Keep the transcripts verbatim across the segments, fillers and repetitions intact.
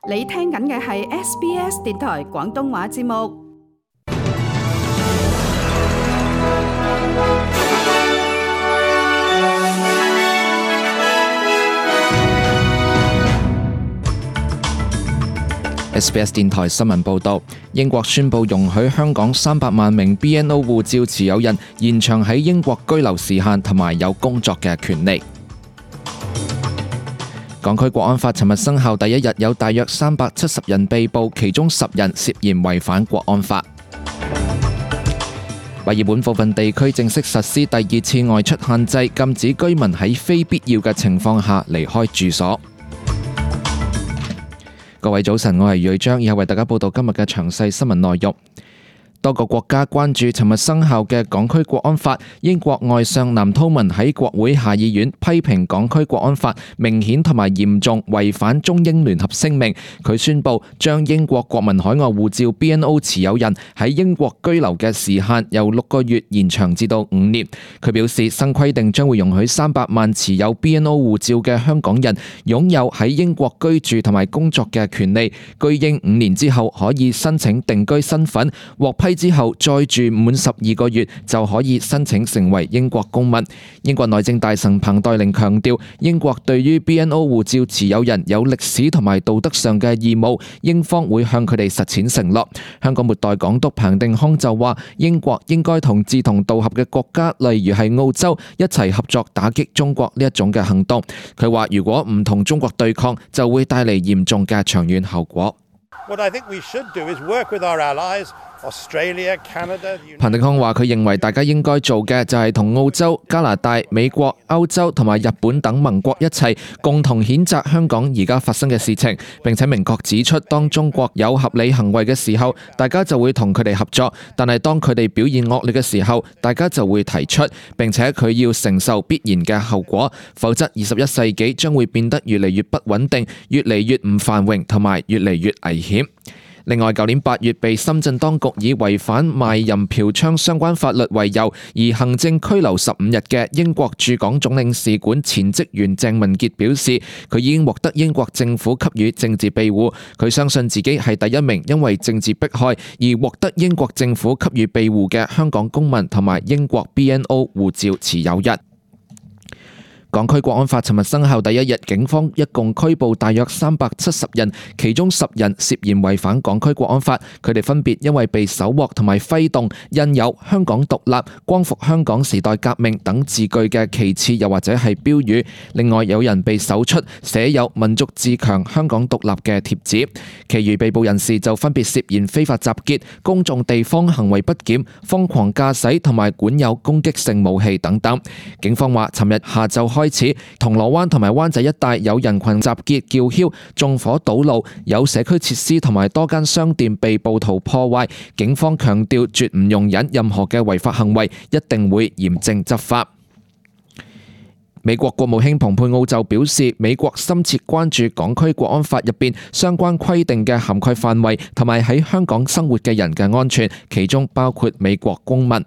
你聽緊嘅係 S B S 電台廣東話節目。S B S 電台新聞報道，英國宣布容許香港三百萬名 B N O 護照持有人延長喺英國居留時限同埋有工作嘅權利。港區國安法尋日生效第一日，有大約三百七十人被捕，其中十人涉嫌違反國安法。墨爾本部分地區正式實施第二次外出限制，禁止居民喺非必要嘅情況下離開住所。各位早晨，我係瑞章，以後為大家報道今日嘅詳細新聞內容。多個國家關注尋日生效嘅港區國安法。英國外相藍韜文喺國會下議院批評港區國安法明顯同埋嚴重違反中英聯合聲明。佢宣布將英國國民海外護照 B N O 持有人喺英國居留嘅時限由六個月延長至到五年。佢表示，新規定將會容許三百萬持有 B N O 護照嘅香港人擁有喺英國居住同埋工作嘅權利。居英五年之後可以申請定居身份，獲批之後再住滿十二個月就可以申請成為英國公民。英國內政大臣彭黛玲強調，英國對於 B N O 護照持有人有歷史同埋道德上嘅義務，英方會向佢哋實踐承諾。香港末代港督彭定康就話，英國應該同志同道合嘅國家，例如係澳洲，一齊合作打擊中國呢一種嘅行動。佢話，如果唔同中國對抗，就會帶嚟嚴重嘅長遠後果。What I think we should do is work with our allies.彭定康話：佢認為大家應該做嘅就係同澳洲、加拿大、美國、歐洲同埋日本等盟國一齊，共同譴責香港而家發生嘅事情，並且明確指出，當中國有合理行為嘅時候，大家就會同佢哋合作；但係當佢哋表現惡劣嘅時候，大家就會提出，並且佢要承受必然嘅後果，否則二十一世紀將會變得越嚟越不穩定，越嚟越唔繁榮，同埋越嚟越危險。另外，舊年八月被深圳當局以違反賣淫嫖娼相關法律為由而行政拘留十五日嘅英國駐港總領事館前職員鄭文傑表示，佢已經獲得英國政府給予政治庇護。佢相信自己係第一名因為政治迫害而獲得英國政府給予庇護嘅香港公民同埋英國 B N O 護照持有人。港區國安法尋日生效第一日，警方一共拘捕大約三百七十人，其中十人涉嫌違反港區國安法。佢哋分別因為被搜獲同埋揮動印有香港獨立、光復香港時代革命等字句嘅旗幟又或者係標語。另外有人被搜出寫有民族自強、香港獨立嘅貼紙。其餘被捕人士就分別涉嫌非法集結、公眾地方行為不檢、瘋狂駕駛同埋管有攻擊性武器等等。警方話，尋日下晝開始，銅鑼灣同埋灣仔一帶有人群集結叫囂、縱火堵路，有社區設施同埋多間商店被暴徒破壞。警方強調絕唔容忍任何嘅違法行為，一定會嚴正執法。美國國務卿蓬佩奧就表示，美國深切關注港區國安法入邊相關規定嘅涵蓋範圍同埋喺香港生活嘅人嘅安全，其中包括美國公民。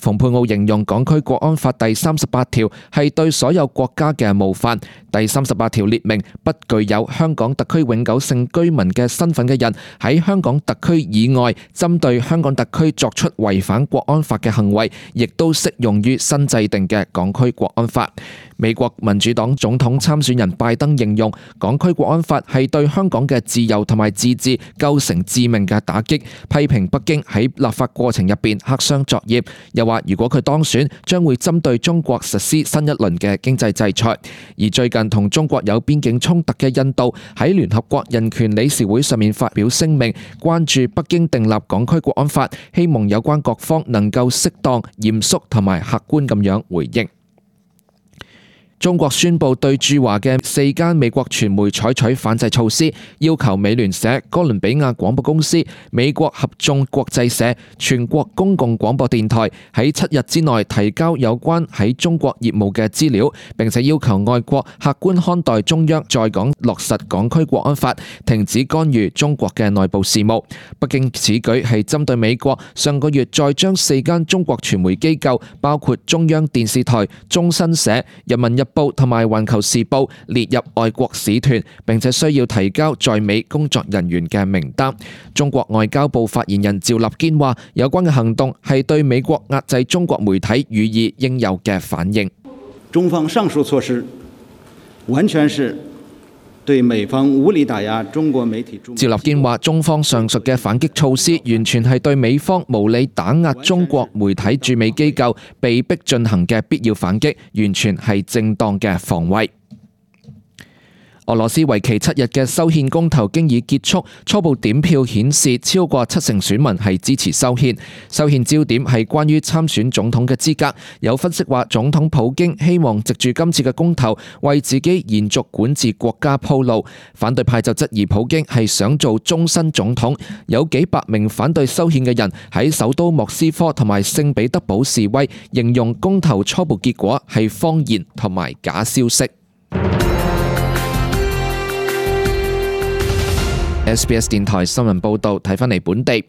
蓬佩奧形容港區國安法第三十八條係對所有國家嘅冒犯。第三十八條列明，不具有香港特區永久性居民嘅身份嘅人喺香港特區以外，針對香港特區作出違反國安法嘅行為，亦都適用於新制定嘅港區國安法。美國民主黨總統參選人拜登形容港區國安法係對香港嘅自由同埋自治構成致命嘅打擊，批評北京喺立法過程入邊黑箱作業，又話如果佢當選，將會針對中國實施新一輪嘅經濟制裁。而最近同中國有邊境衝突嘅印度喺聯合國人權理事會上面發表聲明，關注北京訂立港區國安法，希望有關各方能夠適當、嚴肅同埋客觀咁樣回應。中國宣布對駐華嘅四間美國傳媒採取反制措施，要求美聯社、哥倫比亞廣播公司、美國合眾國際社、全國公共廣播電台喺七日之內提交有關喺中國業務嘅資料，並且要求外國客觀看待中央在港落實港區國安法，停止干預中國嘅內部事務。北京此舉係針對美國上個月再將四間中國傳媒機構，包括中央電視台、中新社、人民日報》同埋《環球時報》列入外國使團，並且需要提交在美工作人員嘅名單。中國外交部發言人趙立堅話：有關嘅行動係對美國壓制中國媒體予以應有嘅反應。中方上述措施完全是對美方無理打壓中國媒體。趙立堅話：中方上述嘅反擊措施，完全係對美方無理打壓中國媒體駐美機構被逼進行嘅必要反擊，完全係正當嘅防衛。俄羅斯為期七日嘅修憲公投經已結束，初步點票顯示超過七成選民係支持修憲。修憲焦點係關於參選總統嘅資格。有分析話，總統普京希望藉住今次嘅公投為自己延續管治國家鋪路。反對派就質疑普京係想做終身總統。有幾百名反對修憲嘅人喺首都莫斯科同埋聖彼得堡示威，形容公投初步結果係謊言同埋假消息。S B S 電台新聞報導，睇返嚟本地。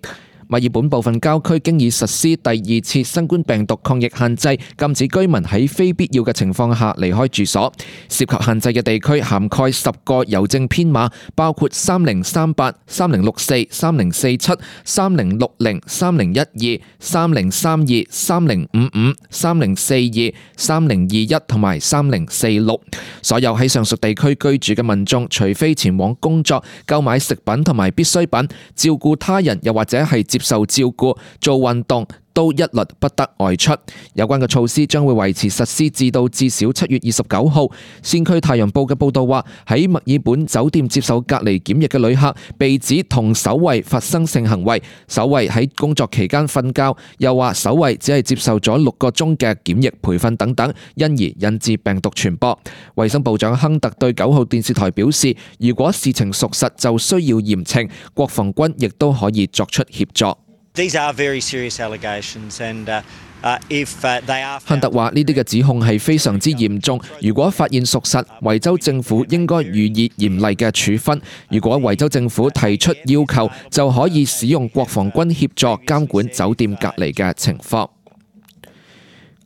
墨爾本部分郊區經已實施第二次新冠病毒抗疫限制，禁止居民喺非必要嘅情況下離開住所。涉及限制嘅地區涵蓋十個郵政編碼，包括三零三八、三零六四、三零四七、三零六零、三零一二、三零三二、三零五五、三零四二、三零二一同埋三零四六。所有喺上述地區居住嘅民眾，除非前往工作、購買食品同埋必需品、照顧他人，又或者係接受照顧、做運動，都一律不得外出。有關嘅措施將會維持實施至到至少七月二十九號。先驅太陽報嘅報道話，喺墨爾本酒店接受隔離檢疫嘅旅客被指同守衛發生性行為，守衛喺工作期間瞓覺，又話守衛只係接受咗六個鐘嘅檢疫培訓等等，因而引致病毒傳播。衛生部長亨特對九號電視台表示，如果事情屬實，就需要嚴懲，國防軍亦都可以作出協助。These are very serious allegations, and uh, uh, if uh, they are. 亨特話：呢啲嘅指控係非常之嚴重，如果發現屬實，維州政府應該予以嚴厲嘅處分。如果維州政府提出要求，就可以使用國防軍協助監管酒店隔離嘅情況。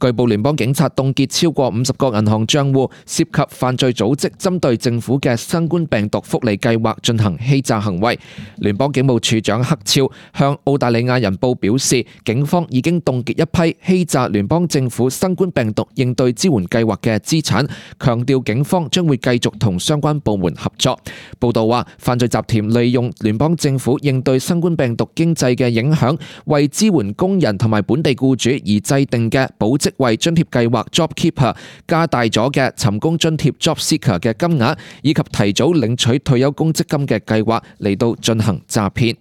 據報聯邦警察凍結超過五十個銀行帳戶，涉及犯罪組織針對政府嘅新冠病毒福利計劃進行欺詐行為。聯邦警務處長克超向澳大利亞人報表示，警方已經凍結一批欺詐聯邦政府新冠病毒應對支援計劃嘅資產，強調警方將會繼續同相關部門合作。報道話，犯罪集團利用聯邦政府應對新冠病毒經濟嘅影響，為支援工人同埋本地僱主而制定嘅保職為津貼計劃 JobKeeper 加大咗嘅尋工津貼 JobSeeker 嘅金額，以及提早領取退休公積金嘅計劃嚟到進行詐騙。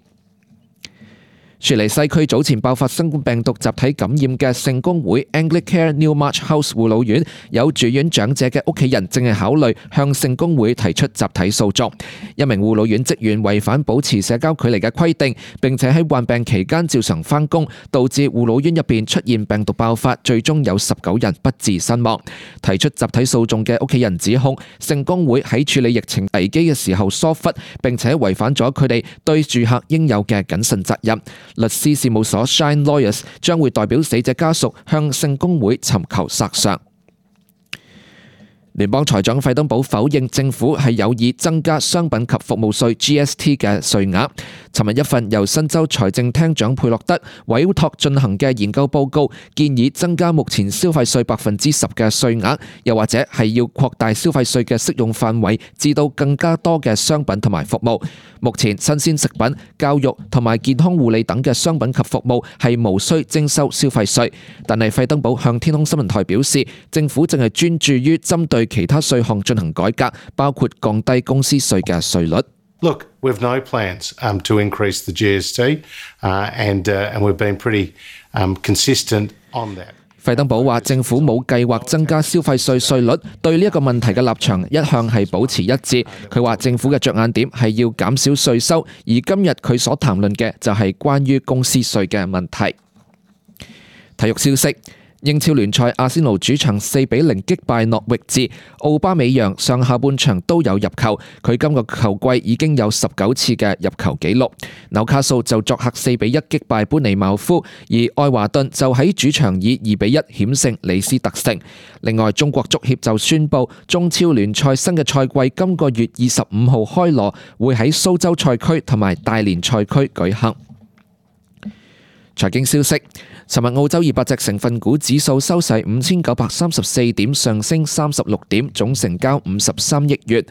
雪梨西區早前爆發新冠病毒集體感染嘅聖公會 Anglicare Newmarch House 護老院，有住院長者嘅屋企人正係考慮向聖公會提出集體訴訟。一名護老院職員違反保持社交距離嘅規定，並且喺患病期間照常返工，導致護老院入邊出現病毒爆發，最終有十九人不治身亡。提出集體訴訟嘅屋企人指控聖公會喺處理疫情危機嘅時候疏忽，並且違反咗佢哋對住客應有嘅謹慎責任。律師事務所 Shine Lawyers 將會代表死者家屬向聖公會尋求索償。聯邦財長費登堡否認政府係有意增加商品及服務稅 G S T 嘅稅額。尋日一份由新州財政廳長佩洛德委託進行嘅研究報告，建議增加目前消費稅百分之十嘅稅額，又或者係要擴大消費稅嘅適用範圍，至到更加多嘅商品同埋服務。目前新鮮食品、教育同埋健康護理等嘅商品及服務係無需徵收消費稅，但係費登堡向天空新聞台表示，政府正係專注於針對其他稅項進行改革，包括降低公司稅嘅稅率。Look, we've no plans um, to increase the G S T, uh, and uh, and we've been pretty um, consistent on that. 費登堡話：政府冇計劃增加消費稅稅率，對呢一個問題嘅立場一向係保持一致。佢話政府嘅着眼點係要減少稅收，而今日佢所談論嘅就係關於公司稅嘅問題。體育消息。英超聯賽，阿仙奴主場四比零擊敗諾域治，奧巴美揚上下半場都有入球，佢今個球季已經有十九次嘅入球紀錄。紐卡素就作客四比一擊敗般尼茅夫，而愛華頓就喺主場以二比一險勝李斯特城。另外，中國足協就宣布中超聯賽新嘅賽季今個月二十五號開鑼，會喺蘇州賽區同埋大連賽區舉行。財經消息，尋日澳洲二百隻成分股指數收市五千九百三十四點，上升三十六點，總成交五十三億元。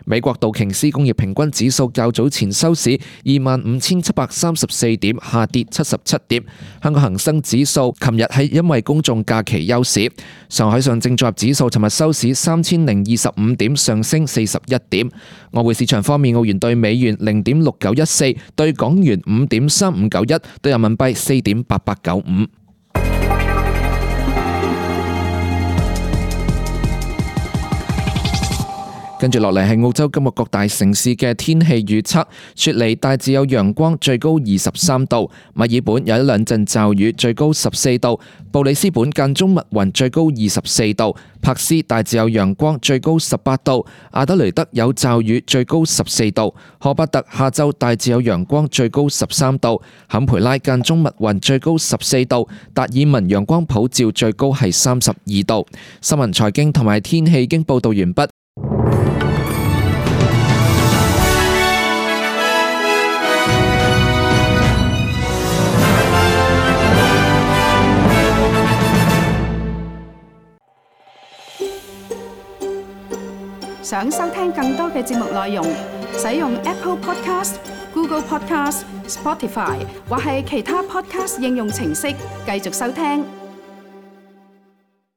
美國道瓊斯工業平均指數較早前收市二萬五千七百三十四點，下跌七十七點。香港恒生指數琴日係因為公眾假期休市。上海上證綜合指數尋日收市三千零二十五點，上升四十一點。外匯市場方面，澳元對美元零點六九一四，對港元五點三五九一，對人民幣四點八八九五。跟住落嚟係澳洲今日各大城市嘅天氣預測。雪梨大致有陽光，最高二十三度；墨爾本有一兩陣驟雨，最高十四度；布里斯本間中密雲，最高二十四度；柏斯大致有陽光，最高十八度；阿德雷德有驟雨，最高十四度；荷伯特下晝大致有陽光，最高十三度；坎培拉間中密雲，最高十四度；達爾文陽光普照，最高係三十二度。新聞財經同埋天氣已經報道完畢。想收聽更多嘅節目內容，使用 Apple Podcast、Google Podcast、Spotify 或係其他 Podcast 應用程式繼續收聽。